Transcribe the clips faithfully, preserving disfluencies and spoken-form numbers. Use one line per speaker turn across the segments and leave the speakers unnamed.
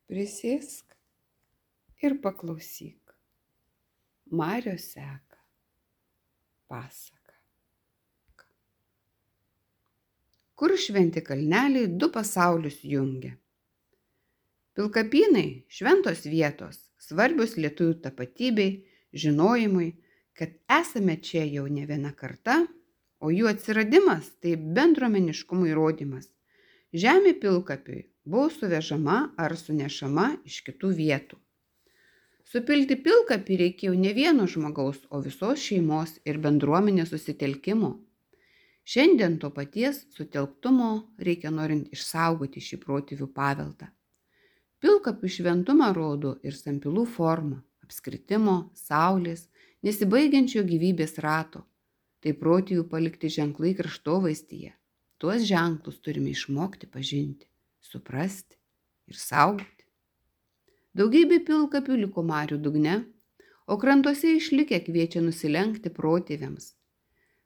Prisėsk ir paklausyk. Marios seka pasaka. Kur šventi kalneliai du pasaulius jungia. Pilkapynai šventos vietos, svarbios lietuvių tapatybei, žinojimui, kad esame čia jau ne viena karta, o jų atsiradimas tai bendruomeniškumo įrodymas. Žemė pilkapiui buvo suvežama ar sunešama iš kitų vietų. Supilti pilkapį reikėjo ne vieno žmogaus, o visos šeimos ir bendruomenės susitelkimo. Šiandien to paties sutelktumo reikia norint išsaugoti šį protėvių paveldą. Pilkapių šventumą rodo ir sampilų forma, apskritimo, saulės, nesibaigiančio gyvybės rato. Tai protėvių palikti ženklai kraštovaizdyje. Tuos ženklus turime išmokti pažinti, suprasti ir saugoti. Daugybė pilkapių liko marių dugne, o krantuose išlikę kviečia nusilenkti protėviams.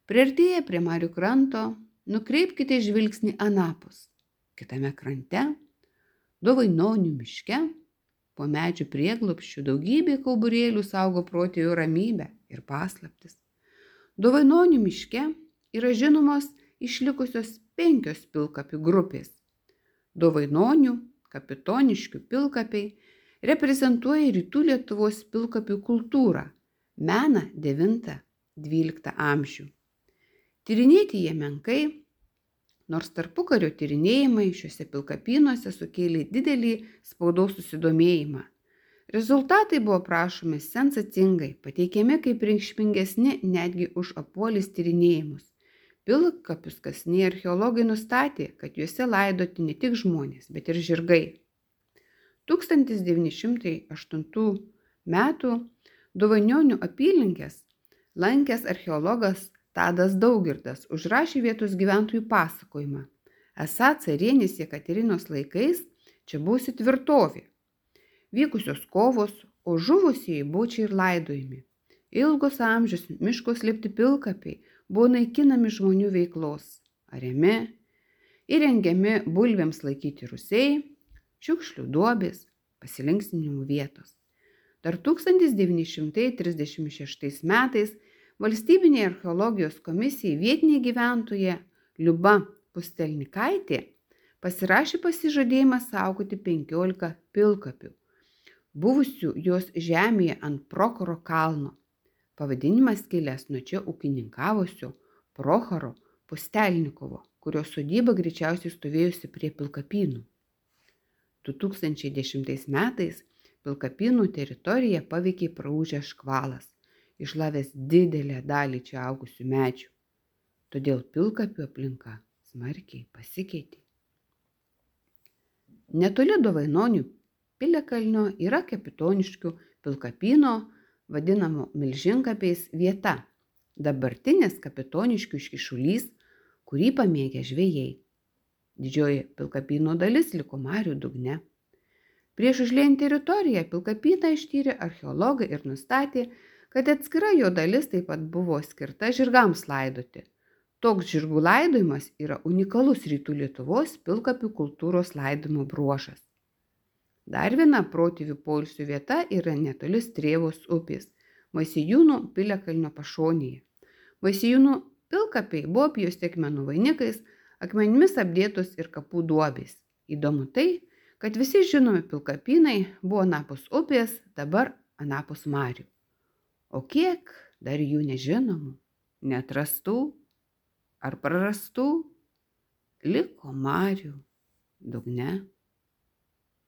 Priartėję prie marių kranto, nukreipkite žvilgsnį anapus. Kitame krante, Dovainonių miške, po medžių prieglobsčių daugybė kauburėlių saugo protėvių ramybę ir paslaptis. Dovainonių miške yra žinomos išlikusios penkios pilkapių grupės. Dovainonių, kapitoniškių pilkapiai reprezentuoja rytų Lietuvos pilkapių kultūrą, meną devintą-dvyliktą amžių. Tyrinėti jie menkai, nors tarpukario tyrinėjimai šiuose pilkapynuose sukėlė didelį spaudos susidomėjimą. Rezultatai buvo prašomi sensacingai, pateikiami kaip reikšmingesni netgi už Apuolės tyrinėjimus. Pilkapius kasiniai archeologai nustatė, kad juose laidoti ne tik žmonės, bet ir žirgai. tūkstantis devyni šimtai aštuntų metų Dovainonių apylinkės lankęs archeologas Tadas Daugirdas užrašė vietos gyventojų pasakojimą. Esą carienės Jekaterinos laikais čia buvusi tvirtovė. Vykusios kovos, o žuvusieji buvo čia ir laidojami. Ilgus amžius miško slėpti pilkapiai buvo naikinami žmonių veiklos, ariami, įrengiami bulvėms laikyti rūsiai, šiukšlių duobės, pasilinksminimų vietos. Dar tūkstantis devyni šimtai trisdešimt šeštais metais Valstybinė archeologijos komisija vietiniai gyventoja Liuba Pustelnikaitė pasirašė pasižadėjimą saugoti penkiolika pilkapių, buvusių jos žemėje ant Prochoro kalno. Pavadinimas kilęs nuo čia ūkininkavusio Prochoro Pustelnikovo, kurio sodyba greičiausiai stovėjusi prie pilkapynų. du tūkstančiai dešimtais metais pilkapynų teritoriją paveikė praūžęs škvalas, išlavęs didelę dalį čia augusių medžių. Todėl pilkapių aplinka smarkiai pasikeitė. Netoli Dovainonių piliakalnio yra kapitoniškių pilkapyno, vadinamo Milžinkapiais vieta, dabartinis kapitoniškių iškyšulys, kurį pamėgę žvejai. Didžioji pilkapyno dalis liko marių dugne. Prieš užliejant teritoriją pilkapyną ištyrė archeologai ir nustatė, kad atskira jo dalis taip pat buvo skirta žirgams laidoti. Toks žirgų laidojimas yra unikalus rytų Lietuvos pilkapių kultūros laidojimo bruožas. Dar viena protėvių poilsio vieta yra netoli Strėvos upės, Vaisiejūnų piliakalnio pašonėje. Vaisiejūnų pilkapiai buvo apjuosti akmenų vainikais, akmenimis apdėtos ir kapų duobės. Įdomu tai, kad visi žinomi pilkapynai buvo anapus upės, dabar anapus marių. O kiek dar jų nežinomų, neatrastų ar prarastų liko marių dugne.